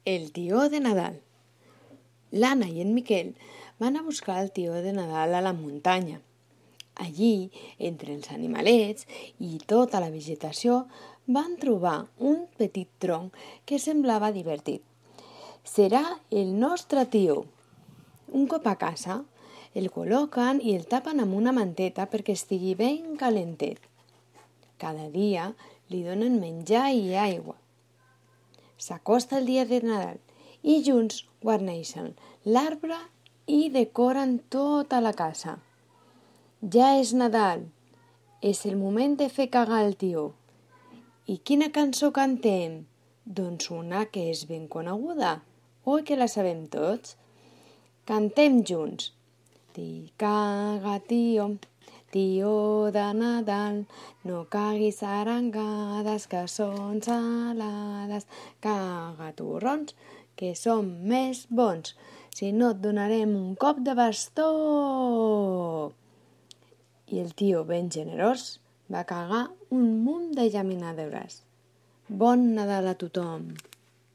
El tió de Nadal. L'Anna i en Miquel van a buscar el tió de Nadal a la muntanya. Allí, entre els animalets i tota la vegetació, van trobar un petit tronc que semblava divertit. Serà el nostre tió. Un cop a casa, el col·loquen i el tapen amb una manteta perquè estigui ben calentet. Cada dia li donen menjar i aigua. S'acosta el dia de Nadal i junts guarneixen l'arbre i decoren tota la casa. Ja és Nadal, és el moment de fer cagar el tió. I quina cançó cantem? Doncs una que és ben coneguda. Oi que la sabem tots? Cantem junts. Caga, tió, tió de Nadal, no caguis arengades que són salades. Caga torrons, que som més bons, si no et donarem un cop de bastó. I el tió, ben generós, va cagar un munt de llaminadures. Bon Nadal a tothom!